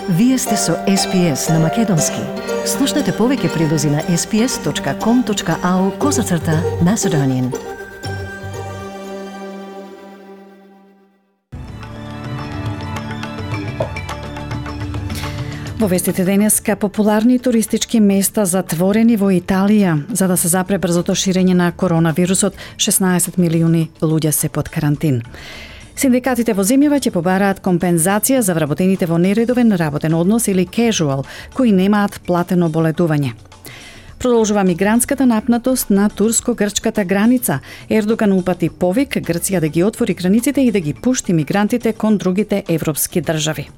Вие сте со SPS на Македонски. Слушнете повеќе прилози на sps.com.au/Macedonian. Во вестите денеска, популарни туристички места затворени во Италија за да се запре брзото ширење на коронавирусот. 16 милиони луѓе се под карантин. Синдикатите во земјава ќе побараат компензација за вработените во нередовен работен однос или casual, кои немаат платено боледување. Продолжува мигрантската напнатост на турско-грчката граница. Ердоган упати повик Грција да ги отвори границите и да ги пушти мигрантите кон другите европски држави.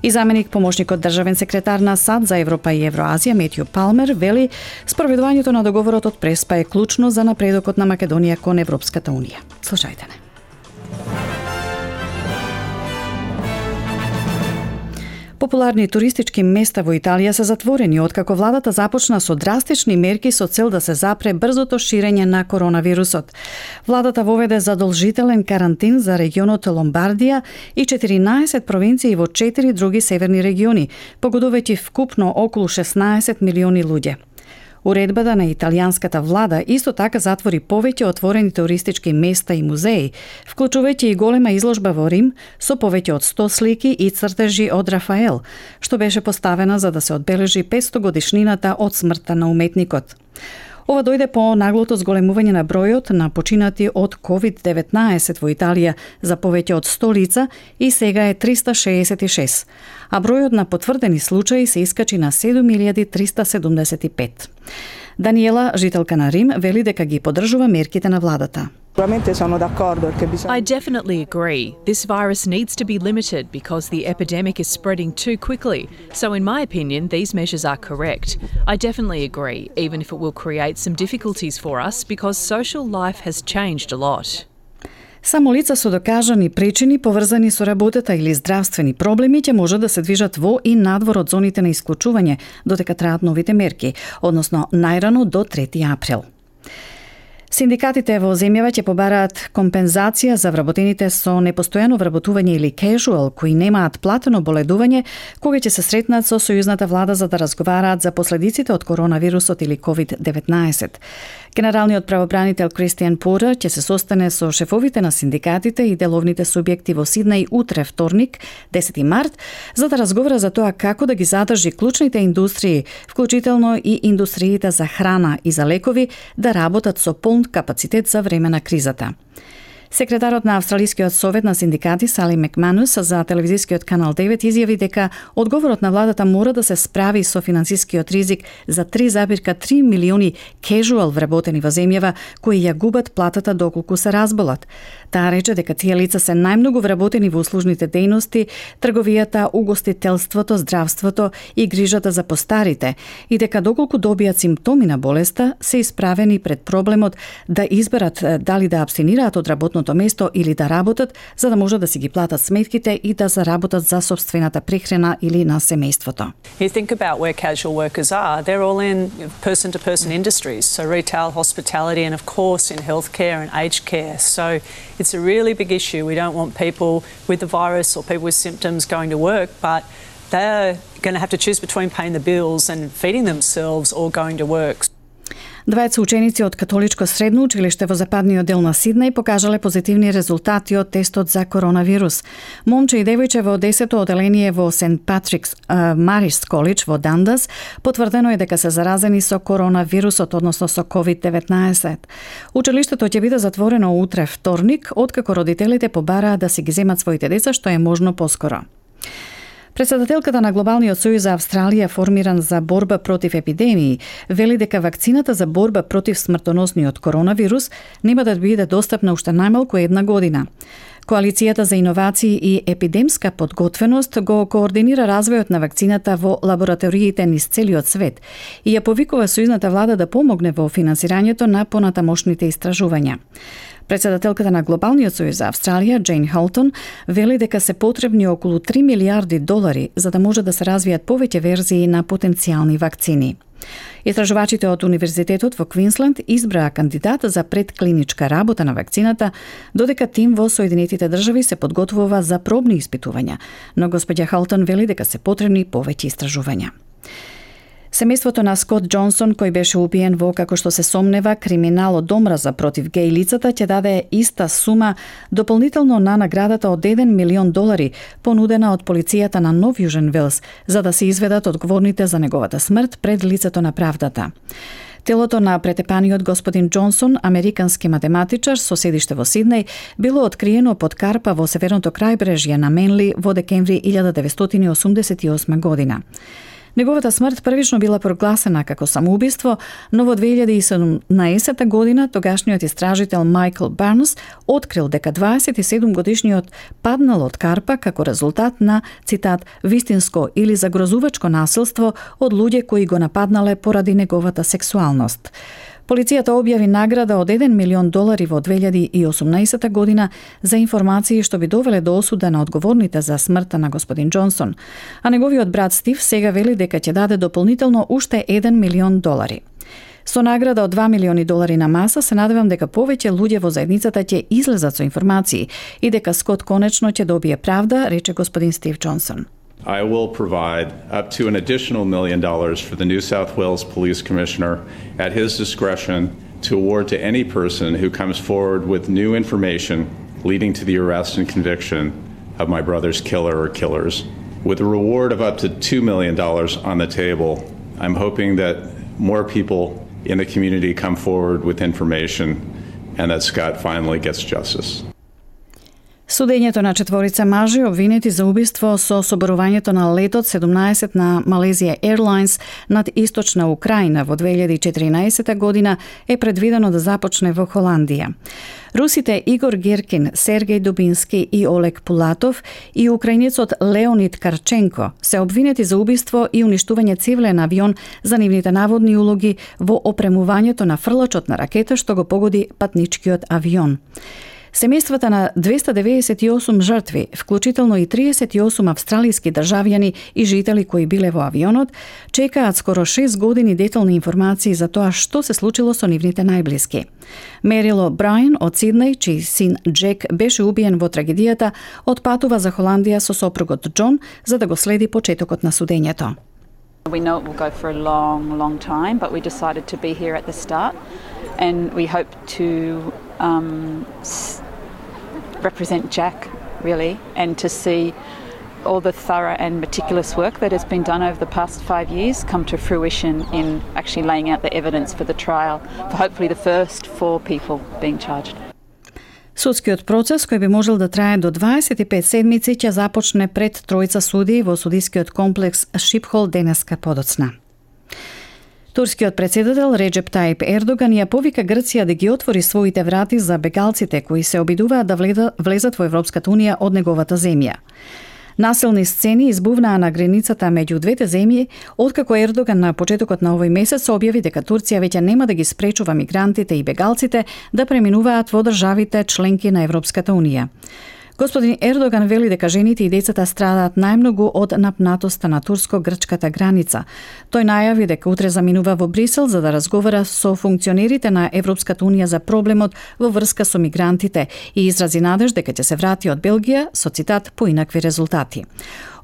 И заменик помошникот државен секретар на САД за Европа и Евроазија Метју Палмер вели спроведувањето на договорот од Преспа е клучно за напредокот на Македонија кон Европската унија. Слушајте не. Популарни туристички места во Италија се затворени откако владата започна со драстични мерки со цел да се запре брзото ширење на коронавирусот. Владата воведе задолжителен карантин за регионот Ломбардија и 14 провинции во 4 други северни региони, погодувајќи вкупно околу 16 милиони луѓе. Уредбата на италијанската влада исто така затвори повеќе отворени туристички места и музеи, вклучувајќи и голема изложба во Рим со повеќе од 100 слики и цртежи од Рафаел, што беше поставена за да се одбележи 500 годишнината од смртта на уметникот. Ова дојде по наглото зголемување на бројот на починати од COVID-19 во Италија за повеќе од 100 лица и сега е 366, а бројот на потврдени случаи се искачи на 7375. Даниела, жителка на Рим, вели дека ги поддржува мерките на владата. I definitely agree. This virus needs to be limited because the epidemic is spreading too quickly. So in my opinion, these measures are correct. I definitely agree, even if it will create some difficulties for us because social life has changed a lot. Само лица со докажани причини поврзани со работата или здравствени проблеми ќе може да се движат во и надвор од зоните на исклучување додека траат новите мерки, односно најрано до 3 април. Синдикатите во земјава ќе побараат компензација за вработените со непостојано вработување или casual, кои немаат платено боледување, кога ќе се сретнат со сојузната влада за да разговараат за последиците од коронавирусот или COVID-19. Генералниот правобранител Кристијан Пора ќе се состане со шефовите на синдикатите и деловните субјекти во Сиднеј утре вторник, 10 март, за да разговара за тоа како да ги задржи клучните индустрии, вклучително и индустриите за храна и за лекови, да работат со полн капацитет за време на кризата. Секретарот на Австралискиот совет на синдикати Сали Макманус за телевизискиот канал 9 изјави дека одговорот на владата мора да се справи со финансискиот ризик за 3,3 милиони casual вработени во земјава кои ја губат платата доколку се разболат. Таа рече дека тие лица се најмногу вработени во услужните дејности, трговијата, угостителството, здравството и грижата за постарите и дека доколку добијат симптоми на болеста се исправени пред проблемот да изберат дали да абстинираат од работното место или да работат за да можат да си ги платат сметките и да заработат за собствената прехрана или на семејството. You think about where casual workers are, they're all in person-to-person industries, so retail, hospitality and of course in healthcare and aged care. So it's a really big issue. We don't want people with the virus or people with symptoms going to work, but they're going to have to choose between paying the bills and feeding themselves or going to work. Двајца ученици од католичко средно училиште во западниот дел на Сиднеј покажале позитивни резултати од тестот за коронавирус. Момче и девојче во 10-то оделение во Сент Патрикс Марис Колидж во Дандас потврдено е дека се заразени со коронавирусот, односно со COVID-19. Училиштето ќе биде затворено утре вторник, откако родителите побараат да си ги земат своите деца што е можно поскоро. Председателката на Глобалниот сојуз за Австралија, формиран за борба против епидемии, вели дека вакцината за борба против смртоносниот коронавирус нема да биде достапна уште најмалку една година. Коалицијата за иновации и епидемска подготвеност го координира развојот на вакцината во лабораториите низ целиот свет и ја повикува сојузната влада да помогне во финансирањето на понатамошните истражувања. Председателката на Глобалниот сојуз за Австралија, Джейн Халтон, вели дека се потребни околу 3 милиарди долари за да може да се развијат повеќе верзии на потенцијални вакцини. Истражувачите од Универзитетот во Квинсленд избраа кандидат за предклиничка работа на вакцината, додека тим во Соединетите држави се подготвува за пробни испитувања, но господја Халтон вели дека се потребни повеќе истражувања. Семејството на Скот Џонсон, кој беше убиен во, како што се сомнева, криминал од омраза против геј лицата, ќе даде иста сума дополнително на наградата од $1 милион понудена од полицијата на Нов Јужен Велс, за да се изведат одговорните за неговата смрт пред лицето на правдата. Телото на претепаниот господин Џонсон, американски математичар со седиште во Сиднеј, било откриено под карпа во северното крајбрежје на Менли во декември 1988 година. Неговата смрт првично била прогласена како самоубиство, но во 2017 година тогашниот истражител Майкл Барнс открил дека 27-годишниот паднал од карпа како резултат на, цитат, вистинско или загрозувачко насилство од луѓе кои го нападнале поради неговата сексуалност. Полицијата објави награда од $1 милион во 2018 година за информации што би довеле до осуда на одговорните за смртта на господин Џонсон, а неговиот брат Стив сега вели дека ќе даде дополнително уште $1 милион. Со награда од $2 милиони на маса се надевам дека повеќе луѓе во заедницата ќе излезат со информации и дека Скот конечно ќе добие правда, рече господин Стив Џонсон. I will provide up to an additional $1 million for the New South Wales Police Commissioner at his discretion to award to any person who comes forward with new information leading to the arrest and conviction of my brother's killer or killers. With a reward of up to $2 million on the table, I'm hoping that more people in the community come forward with information and that Scott finally gets justice. Судењето на четворица мажи обвинети за убиство со соборувањето на летот 17 на Malaysia Airlines над источна Украина во 2014 година е предвидено да започне во Холандија. Русите Игор Гиркин, Сергеј Дубински и Олег Пулатов и украинецот Леонид Карченко се обвинети за убиство и уништување цивилен авион за нивните наводни улоги во опремувањето на фрлачот на ракета што го погоди патничкиот авион. Семејствата на 298 жртви, вклучително и 38 австралиски државјани и жители кои биле во авионот, чекаат скоро 6 години детални информации за тоа што се случило со нивните најблиски. Мерил О'Брајен од Сиднеј, чиј син Джек беше убиен во трагедијата, отпатува за Холандија со сопругот Џон за да го следи почетокот на судењето. We know it will go for a long time, but we decided to be here at the start, and we hope to represent Jack, really, and to see all the thorough and meticulous work that has been done over the past 5 years come to fruition in actually laying out the evidence for the trial for hopefully the first 4 people being charged. Судскиот процес, кој би можел да трае до 25 седмици, ќе започне пред тројца судии во судискиот комплекс Шипхол денеска подоцна. Турскиот председател Реджеп Таип Ердоган ја повика Грција да ги отвори своите врати за бегалците кои се обидуваат да влезат во Европската унија од неговата земја. Насилни сцени избувнаа на границата меѓу двете земји, откако Ердоган на почетокот на овој месец објави дека Турција веќе нема да ги спречува мигрантите и бегалците да преминуваат во државите членки на Европската унија. Господин Ердоган вели дека жените и децата страдаат најмногу од напнатоста на турско-грчката граница. Тој најави дека утре заминува во Брисел за да разговара со функционерите на Европската унија за проблемот во врска со мигрантите и изрази надеж дека ќе се врати од Белгија со цитат поинакви резултати.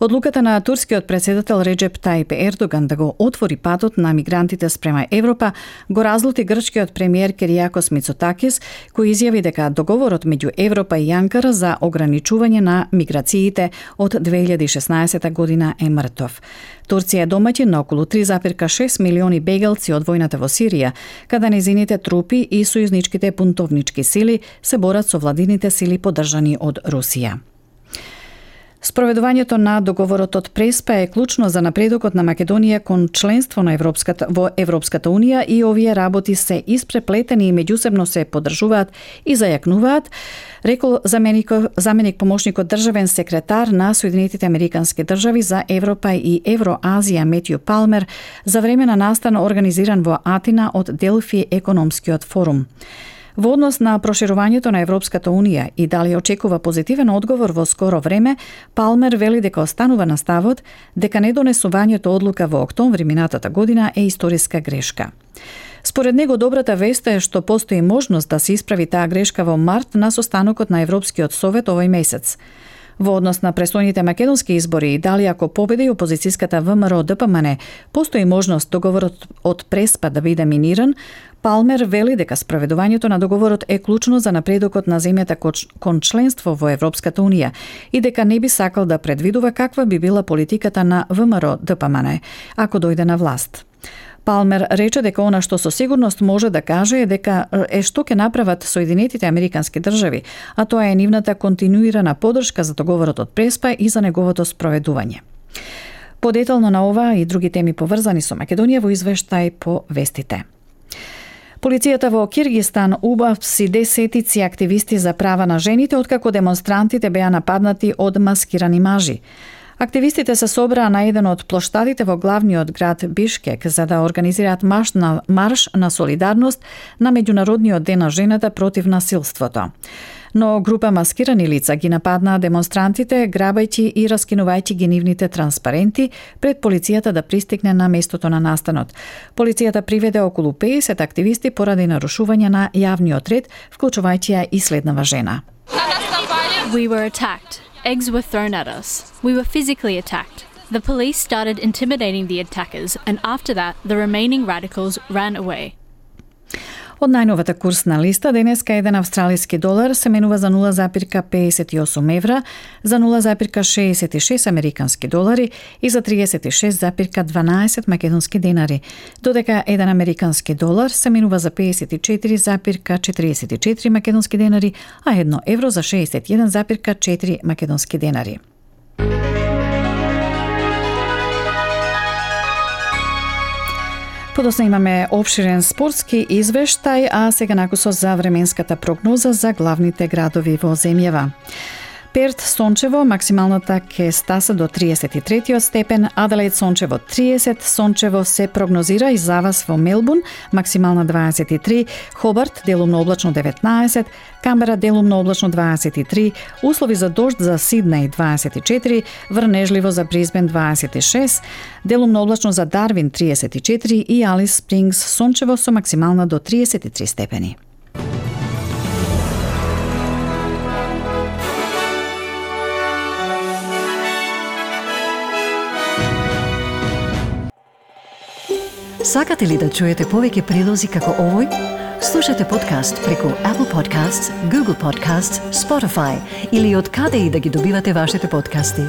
Одлуката на турскиот председател Реджеп Таип Ердоган да го отвори патот на мигрантите спрема Европа го разлути грчкиот премиер Киријакос Мицотакис, кој изјави дека договорот меѓу Европа и Анкара за ограничување на миграциите од 2016 година е мртов. Турција е домаќин на околу 3,6 милиони бегалци од војната во Сирија, каде незините трупи и сојузничките бунтовнички сили се борат со владините сили поддржани од Русија. Спроведувањето на договорот од Преспа е клучно за напредокот на Македонија кон членство на во Европската унија и овие работи се испреплетени и меѓусебно се поддржуваат и зајакнуваат, рекол заменик помошникот државен секретар на Соединетите Американски држави за Европа и Евроазија Метју Палмер за време на настан организиран во Атина од Делфи економскиот форум. Во однос на проширувањето на Европската Унија и дали очекува позитивен одговор во скоро време, Палмер вели дека останува на ставот дека недонесувањето одлука во октомври минатата година е историска грешка. Според него, добрата вест е што постои можност да се исправи таа грешка во март на состанокот на Европскиот совет овој месец. Во однос на престојните македонски избори и дали ако победи опозицијската ВМРО-ДПМН, постои можност договорот од Преспа да биде миниран, Палмер вели дека спроведувањето на договорот е клучно за напредокот на земјата кон членство во Европската Унија и дека не би сакал да предвидува каква би била политиката на ВМРО-ДПМН ако дојде на власт. Палмер рече дека она што со сигурност може да каже е дека што ќе направат Соединетите Американски држави, а тоа е нивната континуирана поддршка за договорот од Преспа и за неговото спроведување. Подетално на ова и други теми поврзани со Македонија во извештај по вестите. Полицијата во Киргистан убавси десетици активисти за права на жените откако демонстрантите беа нападнати од маскирани мажи. Активистите се собраа на еден од плоштадите во главниот град Бишкек за да организираат марш на солидарност на Меѓународниот ден на жената против насилството. Но група маскирани лица ги нападнаа демонстрантите, грабајќи и раскинувајќи ги нивните транспаренти пред полицијата да пристигне на местото на настанот. Полицијата приведе околу 50 активисти поради нарушување на јавниот ред, вклучувајќи ја и следнава жена. We were attacked. Eggs were thrown at us. We were physically attacked. The police started intimidating the attackers, and after that, the remaining radicals ran away. Од најновата курсна листа, денеска еден австралиски долар се менува за 0,58 евра, за 0,66 американски долари и за 36,12 македонски денари, додека еден американски долар се менува за 54,44 македонски денари, а 1 евро за 61,4 македонски денари. Подосна имаме обширен спортски извештај, а сега накусо за временската прогноза за главните градови во земјава. Перт сончево, максималната ќе стаса до 33 степен, Аделаид сончево 30, сончево се прогнозира и за вас во Мелбурн, максимална 23, Хобарт делумно облачно 19, Камбера делумно облачно 23, услови за дожд за Сиднеј 24, врнежливо за Брисбен 26, делумно облачно за Дарвин 34 и Алис Спрингс сончево со максимална до 33 степени. Сакате ли да чуете повеќе прилози како овој? Слушате подкаст преку Apple Podcasts, Google Podcasts, Spotify или од каде и да ги добивате вашите подкасти.